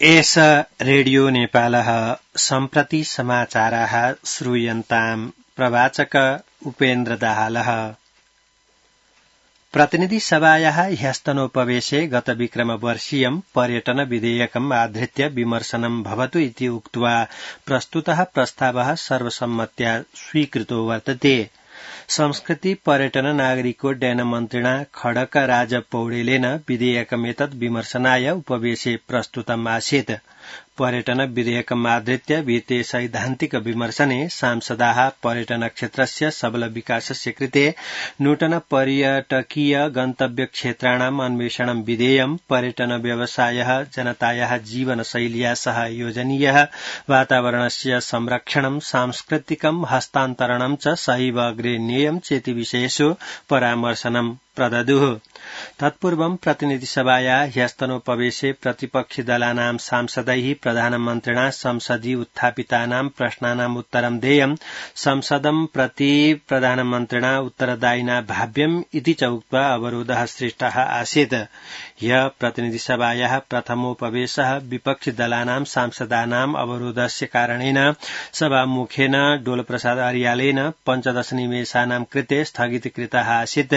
एष रेडियो नेपालः सम्प्रति समाचाराः श्रूयन्ताम् प्रवाचक उपेन्द्र दाहालः। प्रतिनिधि सभायाः ह्यस्तनोपवेशे गत विक्रमवर्षीयं पर्यटन विधेयकम् आधृत्य विमर्शनं भवतु इति उक्त्वा प्रस्तुतः प्रस्तावः सर्वसम्मत्या स्वीकृतो वर्तते। संस्कृति पर्यटन नागरिकोड्डयन मन्त्रिणा खड्क राज पौडेलेन विधेयकमेतत् विमर्शनाय उपवेशे प्रस्तुतम् आसीत्। पर्यटन विधेयकम् आधृत्य विहिते सैद्धान्तिक विमर्शने सांसदाः पर्यटन क्षेत्रस्य सबल विकासस्य कृते नूतन पर्यटकीय गन्तव्य क्षेत्राणाम् अन्वेषणं विधेयं, पर्यटन व्यवसायः जनतायाः जीवनशैल्या सह योजनीयः वातावरणस्य संरक्षणं, सांस्कृतिकं हस्तान्तरणं च सहैव अग्रे नेयं चेति विषयेषु परामर्शनं प्रददुः। तत्पूर्वं प्रतिनिधिसभाया ह्यस्तनोपवेशे प्रतिपक्षि दलानां सांसदैः प्रधानमन्त्रिणा संसदि उत्थापितानां प्रश्नानाम् उत्तरं देयं, संसदं प्रति प्रधानमन्त्रिणा उत्तरदायिना भाव्यम् इति च उक्त्वा अवरोधः सृष्टः आसीत्। ह्यः प्रतिनिधिसभायाः प्रथमोपवेशः विपक्षि दलानां सांसदानाम् अवरोधस्य कारणेन सभामुखेन डोलप्रसाद अर्यालेन 15 निमेषानां कृते स्थगितीकृतः आसीत्।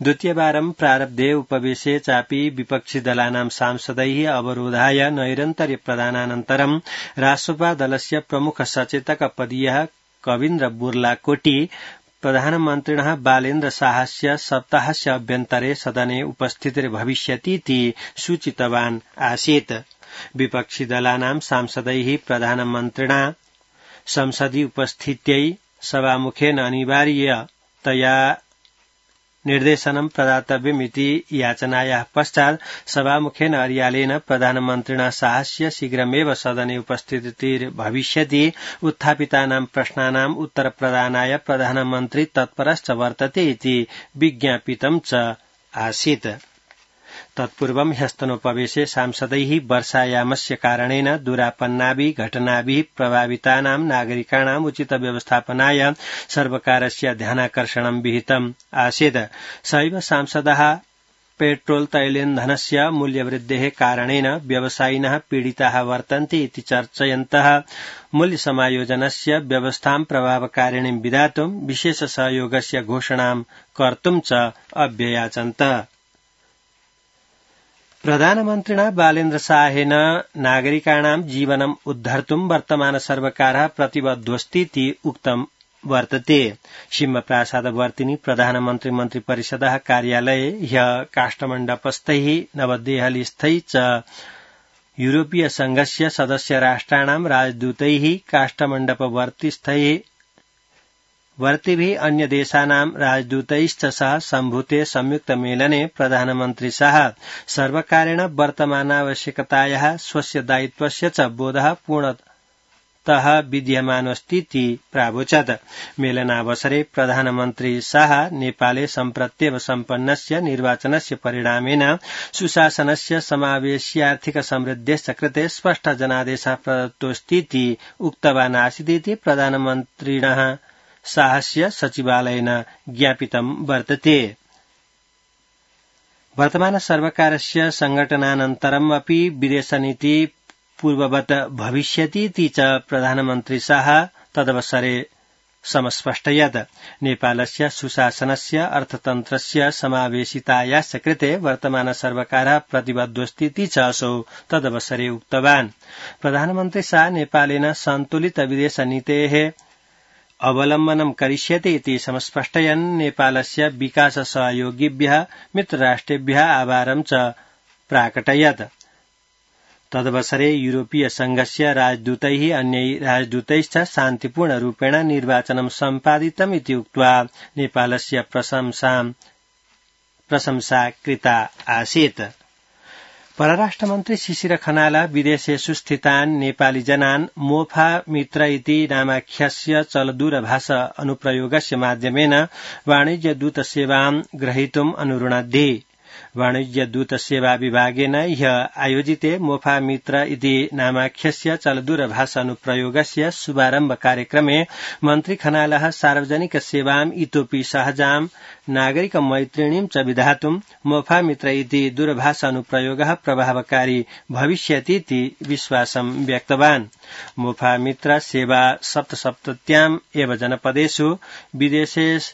द्वितीयवारं प्रारब्धे उपवेशे चापि विपक्षि दलानां सांसदैः अवरोधाय नैरन्तर्य प्रदानानन्तरं रासोपा दलस्य प्रमुख सचेतक पदीयः कवीन्द्र बुर्लाकोटी प्रधानमन्त्रिणः बालेन्द्र शाहस्य सप्ताहस्य अभ्यन्तरे सदने उपस्थितिर्भविष्यतीति सूचितवान् आसीत्। विपक्षि दलानां सांसदैः प्रधानमन्त्रिणा संसदि उपस्थित्यै सभामुखेन अनिवार्यतया निर्देशनं प्रदातव्यमिति याचनायाः पश्चात् सभामुखेन अर्यालेन प्रधानमन्त्रिणा शाहस्य शीघ्रमेव सदने उपस्थितिर्भविष्यति, उत्थापितानां प्रश्नानाम् उत्तरप्रदानाय प्रधानमन्त्री तत्परश्च वर्तते इति विज्ञापितं च आसीत्। तत्पूर्वं ह्यस्तनोपवेशे सांसदैः वर्षायामस्य कारणेन दुरापन्नाभिः घटनाभिः प्रभावितानां नागरिकाणाम् उचित व्यवस्थापनाय सर्वकारस्य ध्यानाकर्षणं विहितम् आसीत्। सहैव सांसदाः पेट्रोल तैलेन्धनस्य मूल्यवृद्धेः कारणेन व्यवसायिनः पीडिताः वर्तन्ते इति चर्चयन्तः मूल्यसमायोजनस्य व्यवस्थां प्रभावकारिणीं विधातुं विशेष सहयोगस्य घोषणां कर्तुं च अभ्ययाचन्त। प्रधानमन्त्रिणा बालेन्द्र शाहेन नागरिकाणां जीवनम् उद्धर्तुं वर्तमान सर्वकारः प्रतिबद्धोऽस्तीति उक्तं वर्तते। सिंहप्रासादवर्तिनि प्रधानमन्त्री मन्त्रिपरिषदः कार्यालये ह्यः काष्ठमण्डपस्थैः नवदेहलीस्थैः च यूरोपीय संघस्य सदस्य राष्ट्राणां राजदूतैः काष्ठमण्डपवर्तिस्थैः वर्तिभिः अन्य देशानां राजदूतैश्च सह सम्भूते संयुक्त मेलने प्रधानमन्त्री शाह सर्वकारेण वर्तमानावश्यकतायाः स्वस्य दायित्वस्य च बोधः पूर्णतः विद्यमानोऽस्तीति प्रावोचत्। मेलनावसरे प्रधानमन्त्री शाह नेपाले सम्प्रत्येव सम्पन्नस्य निर्वाचनस्य परिणामेन सुशासनस्य समावेश्यार्थिक समृद्धेश्च कृते स्पष्ट जनादेशः प्रदत्तोऽस्तीति उक्तवान् आसीदिति प्रधानमन्त्रिणः शाहस्य सचिवालयेन ज्ञापितं वर्तते। वर्तमान सर्वकारस्य संघटनानन्तरम् अपि विदेशनीति पूर्ववत् भविष्यतीति च प्रधानमन्त्री शाह तदवसरे समस्पष्टयत्। नेपालस्य सुशासनस्य अर्थतन्त्रस्य समावेशितायाश्च कृते वर्तमान सर्वकारः प्रतिबद्धोऽस्तीति च असौ तदवसरे उक्तवान्। प्रधानमन्त्री शाह नेपालेन सन्तुलित विदेशनीतेः अवलम्बनं करिष्यति इति समस्पष्टयन् नेपालस्य विकास सहयोगिभ्यः मित्रराष्ट्रेभ्यः आभारं च प्राकटयत्। तदवसरे यूरोपीय संघस्य राजदूतैः अन्यैः राजदूतैश्च शान्तिपूर्णरूपेण निर्वाचनं सम्पादितम् इति उक्त्वा नेपालस्य प्रशंसा कृता आसीत्। परराष्ट्रमन्त्री शिशिर खनाल विदेशेषु स्थितान् नेपाली जनान् मोफा मित्र इति नामाख्यस्य चलदूरभाष अनुप्रयोगस्य माध्यमेन वाणिज्यदूतसेवां ग्रहीतुम् अनुरुणद्धि। वाणिज्य दूत सेवा विभागेन ह्य आयोजिते मोफा मित्र इति नामाख्यस्य चलदूरभाषानुप्रयोगस्य शुभारम्भ कार्यक्रमे मन्त्री खनालः सार्वजनिक सेवाम् इतोपि सहजाम् नागरिक मैत्रिणीं च विधातुं मोफा मित्र इति दूरभाषानुप्रयोगः प्रभावकारी भविष्यतीति विश्वासं व्यक्तवान्। मोफा मित्र सेवा सप्तसप्तत्याम् एव जनपदेषु विदेशेषु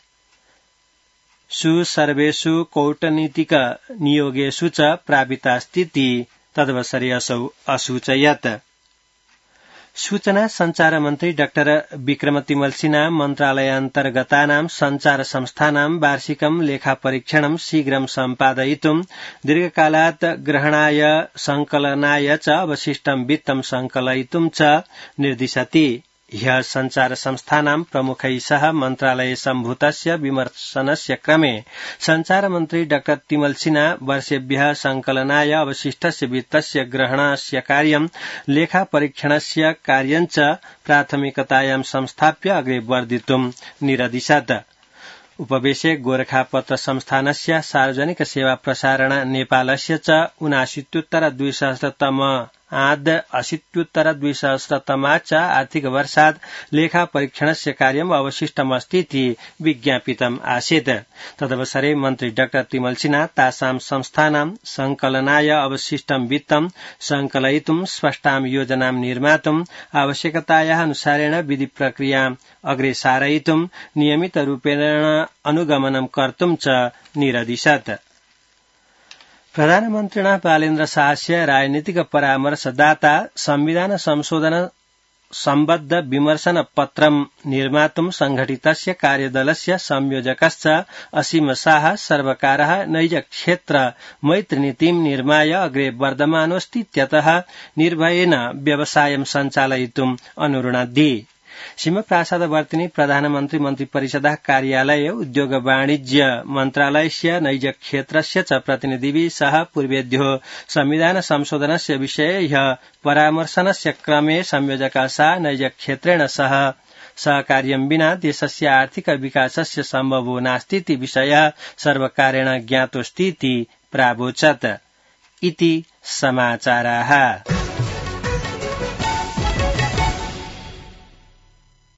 सर्वेषु कौटनीतिक नियोगेषु च प्रापितास्तीति तदवसरे असौ असूचयत्। सूचना संचार मन्त्री डाक्टर विक्रम तिमल सिन्हा मन्त्रालयान्तर्गतानां संचार संस्थानां वार्षिकं लेखापरीक्षणं शीघ्रं सम्पादयितुं दीर्घकालात् ग्रहणाय संकलनाय च अवशिष्टं वित्तं संकलयितुं च निर्दिशति। ह्यः संचार संस्थानां प्रमुखैः सह मन्त्रालये सम्भूतस्य विमर्शनस्य क्रमे संचार मन्त्री डाक्टर तिमल सिन्हा वर्षेभ्यः संकलनाय अवशिष्टस्य वित्तस्य ग्रहणस्य कार्यं लेखापरीक्षणस्य कार्यं च प्राथमिकतायां संस्थाप्य अग्रे वर्धितुं निरदिशत्। उपवेशे गोरखापत्र संस्थानस्य सार्वजनिक सेवा प्रसारण नेपालस्य च 79,200 च आर्थिक वर्षात् लेखापरीक्षणस्य कार्यम् अवशिष्टमस्तीति विज्ञापितम् आसीत्। तदवसरे मन्त्री डाक्टर तिमल सिन्हा तासां संस्थानां संकलनाय अवशिष्टं वित्तं संकलयितुं स्पष्टां योजनां निर्मातुम् आवश्यकतायाः अनुसारेण विधि प्रक्रियाम् अग्रे सारयितुं नियमितरूपेण अनुगमनं कर्तुं च निरदिशत्। प्रधानमन्त्रिणा बालेन्द्र शाहस्य राजनीतिक परामर्शदाता संविधान संशोधन सम्बद्ध विमर्शन पत्रं निर्मातुं संघटितस्य कार्यदलस्य संयोजकश्च असीम शाह सर्वकारः नैजक्षेत्र मैत्रीनीतिं निर्माय अग्रे वर्धमानोऽस्तीत्यतः निर्भयेन व्यवसायं सञ्चालयितुम् अनुरुणद्धि। सिंहप्रासादवर्तिनी प्रधानमन्त्री मन्त्रिपरिषदः कार्यालये उद्योग वाणिज्य मन्त्रालयस्य नैजक्षेत्रस्य च प्रतिनिधिभिः सह पूर्वेभ्यो संविधान संशोधनस्य विषये ह्यः परामर्शनस्य क्रमे संयोजकः सह नैजक्षेत्रेण सह सहकार्यं विना देशस्य आर्थिक विकासस्य सम्भवो नास्तीति विषयः सर्वकारेण ज्ञातोऽस्तीति प्रावोचत्। इति समाचाराः।